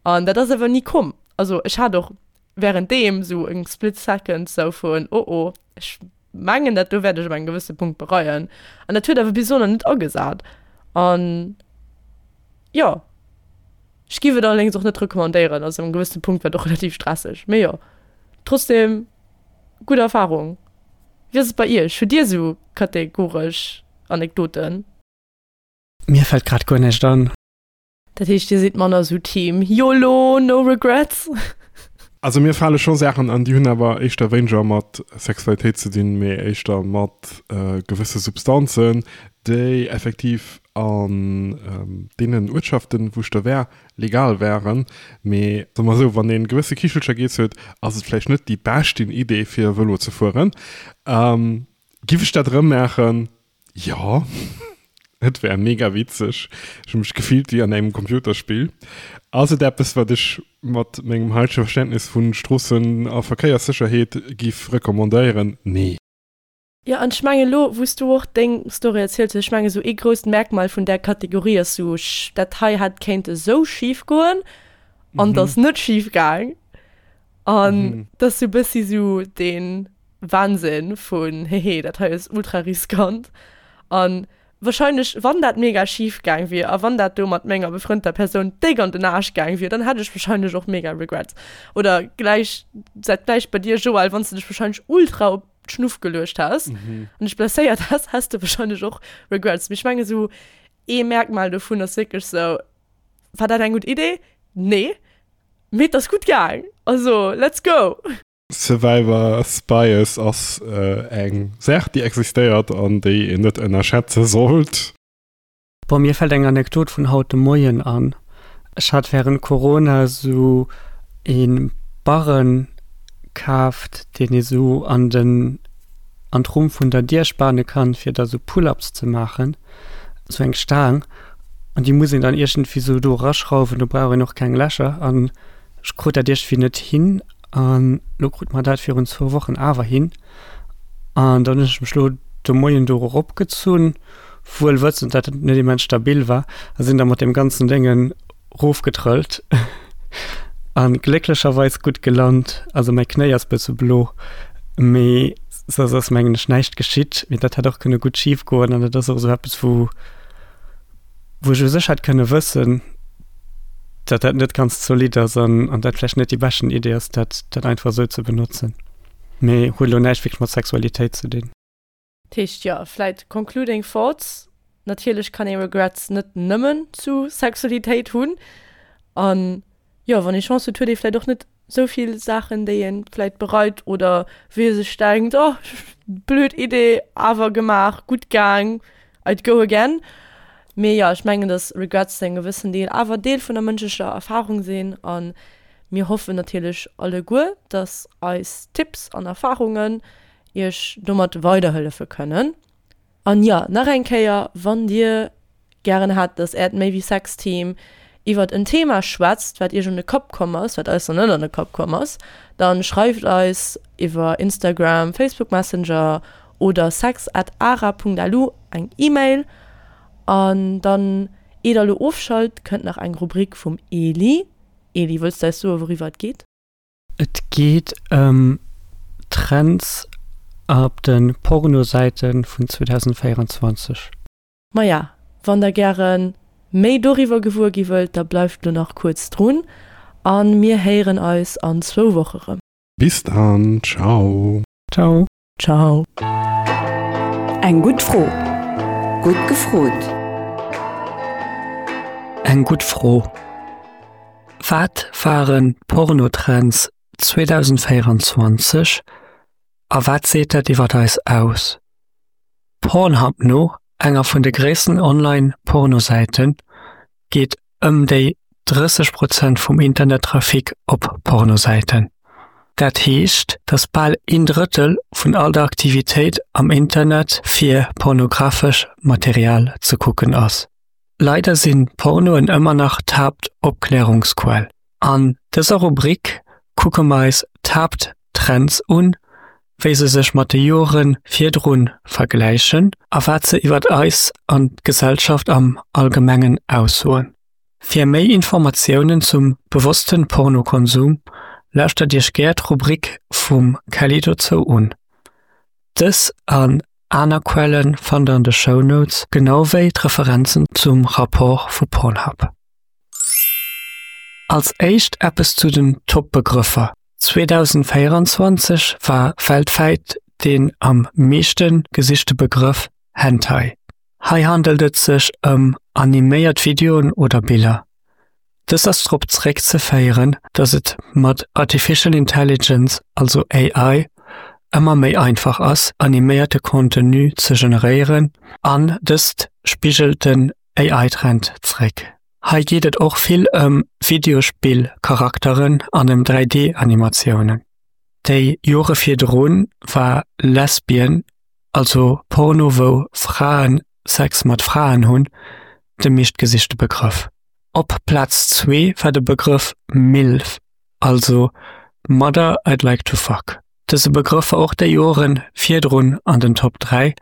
an dat ass awer ni komm. Also ech hat och währenddeem esou eng split second esou vun, oh oh, ech mengen dat do wäert ech op engem gewësse Punkt bereien. An dat huet awer bis elo nach net agesat. An jo, ech giff et allerdéngs och net recommandéieren, also am gewëssene Punkt war et och relativ stresseg. Mee jo, trotzdem gutt Erfahrung. Wéi ass et bei iech? Hutt dir esou kategoresch Anekdoten? Mir fält grad guer näischt an. Dat heescht dir sidd manner sou Team YOLO, no regrets? Also mir fale scho Saachen an, déi hunn awer éischter wéineger mat Sexualitéit ze dinn, mee éischter mat gewësse Substanzen, déi effektiv an deenen Uertschaften, wou ech da war, legal waren. Mee soe mer esou, wann ee gewësse Kichelcher giess huet, ass et vläicht net déi beschten Idee fir Vëlo ze fueren. Giff ech dat erëm maachen? Jo, et wär mega witzeg. Ech hu mech gefillt wéi an engem Computerspill. Ass et eppes, wat ech mat mengem haitege Verständnis vu Stroossen a Verkéierssécherheet giff recommandéieren? Nee. Jo, an ech mengen elo, wou s du och deng Story erzielt hues, ech mengen esou ee grousst Merkmal vun där Kategorie ass esou, dat hei hätt kéinte sou schif goen an et ass net schif gaang. An dat ass sou e bëssi sou dee Wahnsinn vun hehe, dat hei ass ultra riskant. An wahrscheinlech, wann dat mega schif gaang wier a wann dat do mat menger befrënnter Persoun déck an den Aarsch gaang wier, dann hätt ech wahrscheinlech och mega Regrets. Oder gläich, dat gläicht bei dir, Joël, wann s de dech wahrscheinlech ultra op d'Schnuff geluecht häss an dech blesséiert häss, häss de wahrscheinlech och Regrets. Mee ech mengen esou ee Merkmal dovun ass wierklech sou, War dat eng gutt Idee? Nee. Mee et ass gutt gaang. Also, let's go! Survivor's Bias ass eng Saach, déi existéiert an déi een net ënnerschätze sollt. Bon, mir fällt eng Anekdot vun haut de Moien an. Ech hat während Corona sou ee Barren kaaft, deen ee sou an den, an d'Rumm vun der Dier spane kann, fir da sou Pull-ups ze maachen, sou eng Staang. An déi muss een dann iergendwéi sou do eraschrauwen, do brauch een och keng Lächer. An ech krut dat iergendwéi net hin. An lo krut mer dat virun zwou Wochen awer hin. An dann hunn ech mech lo de Moien do eropgezunn, wuel wëssend, dat et net immens stabil war, a sinn da mat deem ganzen Déngen rofgetrëllt a glécklecherweis gutt gelant. Also mäi Knéi ass bësse blo, mee soss ass mengen ech näischt geschitt. Mee dat hätt och kënne gutt schif goen an dat ass och esou eppes, wou wou ech u sech hätt kënne wëssen, datt dat net ganz zolidd ass an an dat vläicht net déi beschten Idee ass, dat dat einfach esou ze benotzen. Mee huet elo näischt wierklech mat Sexualitéit ze dinn. Dat heescht, jo, vläit concluding thoughts, natierlech kann ee Regrets net nëmmen zu Sexualitéit hunn an jo, wann ee Chance huet, huet ee vläit och net sou vill Saachen, déi ee vläit bereit oder wou ee sech denkt, oh, blöd Idee, awer gemaach, gutt gaang, I'd go again. Mee jo, ech mengen, dass Regrets zu engem gewëssen Deel awer Deel vun der mënschlecher Erfarung sinn a mir hoffen natierlech alleguer, dass eis Tipps an Erfarungen iech domat weiderhëllefe kënnen. An jo, nach eng Kéier, wann dir gären hätt, dass äert Méi wéi Sex Team iwwert en Thema schwätzt, wat iech an de Kapp komm ass, wat eis nach net an de Kapp komm ass, dann schreift eis iwwer Instagram, Facebook Messenger oder sex at ara.lu eng Email. An dann, eer der elo ofschalt, kënnt nach eng Rubrik vum Eli. Eli, wëlls de eis soen, wouriwwer et geet? Et geet ëm Trends op de Pornosäite vun 2024. Maja, wann der gäre méi doriwwer gewuer gi wëllt, da bleift lo nach kuerz drun a mir héieren eis an zwou Woche rëm. Bis dann, ciao. Ciao. Ciao. Eng gutt Fro. Gutt gefrot. Eng gutt Fro. Wat waren d'Pornotrends 2024 a wat seet dat iwwer eis aus? Pornhub no, enger vun de gréissten Online-Pornosäiten, geet ëm déi 30 Prozent vum Internettrafic op Pornosäiten. Dat heescht, datt bal een Drëttel vun all der Aktivitéit am Internet fir pornografesch Material ze kucken ass. Leider sinn Pornoen ëmmer nach d'Haaptopklärungsquell. An dëser Rubrik kucke mer eis d'Haapttrends un, wéi se sech mat de Jore virdru vergläichen a wat se iwwer eis an d'Gesellschaft am Allgemengen aussoen. Fir méi Informatiounen zum bewosste Pornokonsum, lauschtert Iech gär d'Rubrik vum Kelly dozou un. Dës an aner Quelle fannt der an de Shownotes, genau wéi d'Referenzen zum Rapport vu Pornhub. Als éischt eppes zu den Top-Begrëffer. 2024 war weltwäit deen am meeschte gesichte Begrëff Hentai. Hei handelt et sech ëm animéiert Videoen oder Biller. Dëst ass drop zeréckzeféieren, datt et mat Artificial Intelligence, also AI, ëmmer méi einfach ass, animéierte Contenu ze generéieren an dëst spigelt den AI-Trend zeréck. Hei geet et och vill ëm Videospill-Charakteren an ëm 3D-Animatiounen. Déi Jore virdrun war Lesbian, also Porno wou Frae Sex mat Fraen hunn, de meeschtgesichte Begrëff. Op Plaz zwee war de Begrëff MILF, also Mother I'd Like to Fuck. Dëse Begrëff war och déi Jore virdrun an den Top 3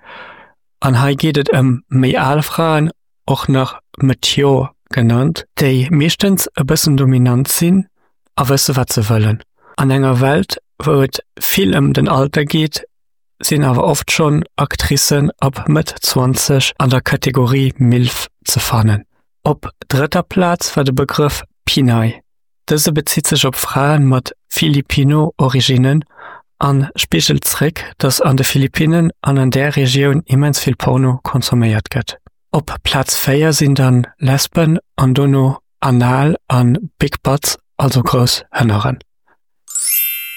an hei geet et ëm méi al Fraen och nach mature genannt, déi meeschtens e bëssen dominant sinn a wësse wat se wëllen. An enger Welt wou et vill ëm den Alter geet, sinn awer oft schonn Actricen ab Mëtt 20 an der Kategorie MILF ze fannen. Op drëtter Plaz war de Begrëff Pinay. Dëse bezitt sech op Fraen mat Filipino-Originnen an spigelt zréck, dass an de Philippinnen an an där Regioun immens vill Porno consomméiert gëtt. Op Plaz 4 sinn dann Lesben an dono Anal an Big Butts, also grouss Hënneren.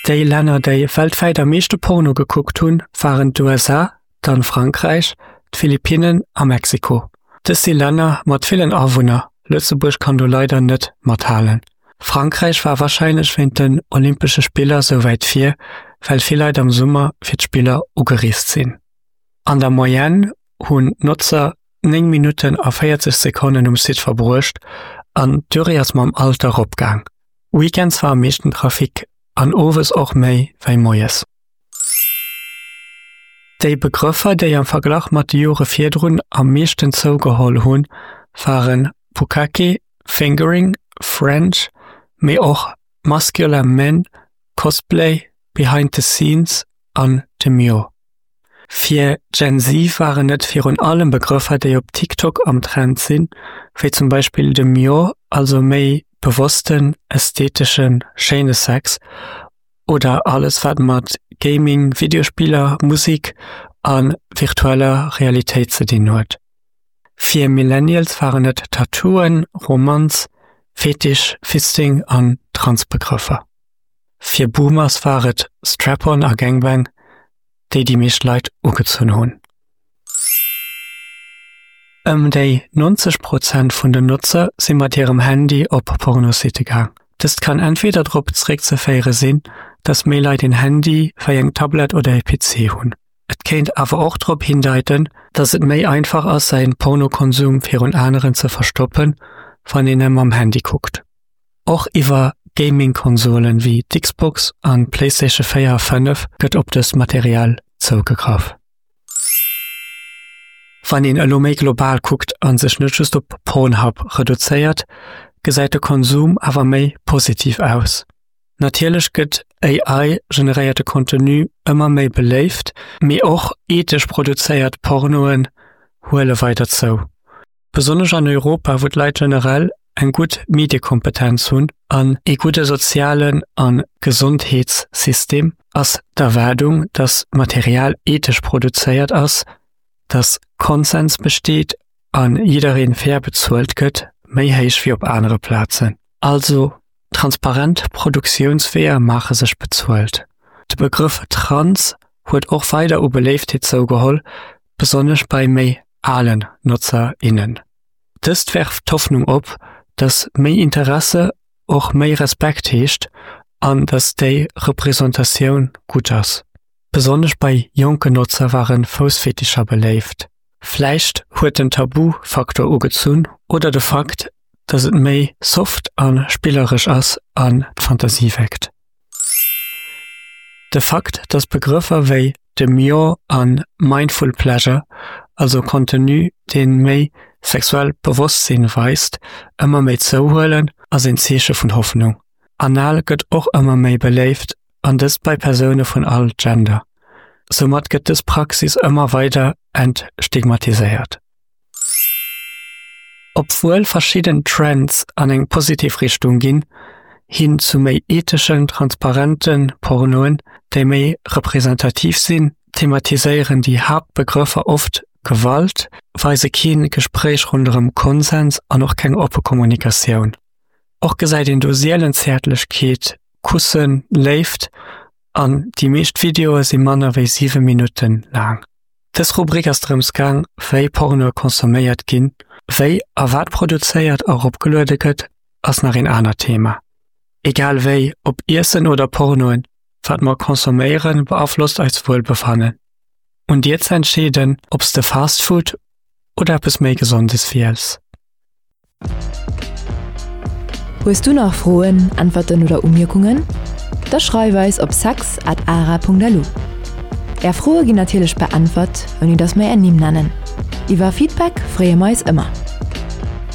Déi Länner déi weltwäit am meeschte Porno gekuckt hunn, waren d'USA, dann Frankräich, d'Philippinnen a Mexiko. Dës si Länner mat villen Awunner, Lëtzebuerg kann do leider net mathalen. Frankräich war warscheinlech wéint den Olympesche Spiller sou wäit vir, well vill Leit am Summer fir d'Spiller ugereest sinn. An der Moyenne hunn d'Notzer 9 Minutten a 40 Sekonnen um Site verbruecht an d'Durée ass mam Alter eropgaang. Weekends war am meeschten Trafic an owes och méi wéi moies. Déi Begrëffer, déi am Verglach mat de Jore virdrun am meeschten zougeholl hunn, waren Bukkake, Fingering, French, mee och Muscular Men, Cosplay, Behind the Scenes an Demure. Fir Gen Z waren et virun allem Begrëffer, déi op TikTok am Trend sinn, wéi zum Beispill Demure, also méi bewossten, ästheteschen, schéine Sex, oder alles wat mat Gaming, Videospiller, Musik a virtueller Realitéit ze dinn huet. Fir Millennials waren et Tattooen, Romanz, Fetisch, Fisting an Transbegrëffer. Fir Boomers war et Strap-on a Gangbang, déi déi meescht Leit ugezunn hunn. Ëm déi 90 Prozent vun den Notzer si mat hirem Handy op Pornositte gaang. Dëst kann entweder drop zeréckzeféiere sinn, dass méi Leit een Handy wéi eng Tablett oder ee PC hunn. Et kéint awer och drop hindeiten, dass et méi einfach ass säin Pornokonsum virun aneren ze verstoppen, wann een e mam Handy kuckt. Och iwwer Gaming-Konsolen wéi d'Xbox an d'Playstation 4 a 5 gëtt op dëst Material zougegraff. Wann een elo méi global kuckt a sech net just op Pornhub reduzéiert, gesäit de Konsum awer méi positiv aus. Natierlech gëtt AI-generéierte Contenu ëmmer méi beléift, mee och ethesch produzéiert Pornoen huele weider zou. Besonnesch an Europa, wou d'Leit generell eng gutt Mediekompetenz hunn an ee gudde sozialen a Gesondheetssystem, ass d'Erwaardung, datt Material ethesch produzéiert ass, datt Konsens besteet a jidderee fair bezuelt gëtt, méi héich wéi op anere Plazen. Also transparent Produktiounsweeër maache sech bezuelt. De Begrëff trans huet och weider u Beléiftheet zougeholl, besonnesch bei méi alen Notzer, innen. Dëst werft d'Hoffnung op, datt méi Interesse och méi Respekt heescht an datt déi Representatioun gutt ass. Besonnesch bei jonken Notzer ware Foussfetischer beléift. Vläicht huet den Tabu-Faktor ugezunn oder de Fakt, datt et méi soft a spilleresch ass an d'Fantasie weckt. De Fakt, datt Begrëffer wéi Demure a Mindful Pleasure, also Contenu dee méi sexuellt Bewosstsinn weist, ëmmer méi zouhuelen, ass een Zeeche vun Hoffnung. Anal gëtt och ëmmer méi beléift, an dëst bei Persoune vun all Gender. Soumat gëtt dës Praxis ëmmer weider entstigmatiséiert. Obwuel verschidden Trends an eng positiv Richtung ginn, hin zu méi etheschen, transparente Pornoen, déi méi representativ sinn, thematiséieren déi Haaptbegrëffer oft Gewalt, weise kee Gespréich ronderëm Konsens an och keng oppe Kommunikatioun. Och gesäit een do sielen Zäertlechkeet, Kussen, Léift an déi meescht Videoe si manner wéi 7 Minutten laang. Dës Rubrik ass drëms gaang, wéi Pornoe consomméiert ginn. Wéi a wat produzéiert a eropgeluede gëtt, ass nach een anert Thema. Egal wéi, ob Iessen oder Pornoen, wat mer consomméieren, beaflosst eist Wuelbefannen. Un dir ze entscheeden, ob s de Fast Food oder eppes méi Gesondes wiels. Hues du nach Froen, Äntwerten oder Umierkungen? Da schreif eis op sex at ara.lu. Är Froe ginn natierlech beäntwert, ouni dass mer är Nimm nennen. Iwwer Feedback freeë mer eis ëmmer.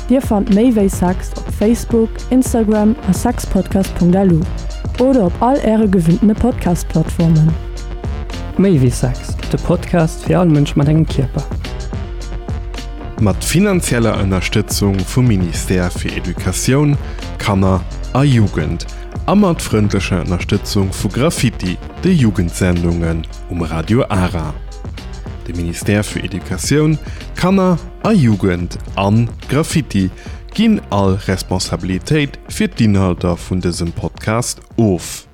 Dir fannt méi wéi Sex op Facebook, Instagram a sexpodcast.lu oder op all äre gewinntene Podcast-Plattformen. Méi wéi Sex. De Podcast fir all Mënsch mat engem Kierper. Mat finanzieller Ënnerstëtzung vum Ministère fir Educatioun, Kanner a Jugend a mat frëndlecher Ënnerstëtzung vu Graffiti, de Jugendsendungen um Radio Ara. De Ministère fir Educatioun, Kanner a Jugend an Graffiti ginn all Responsabilitéit fir d'Inhalter vun dësem Podcast of.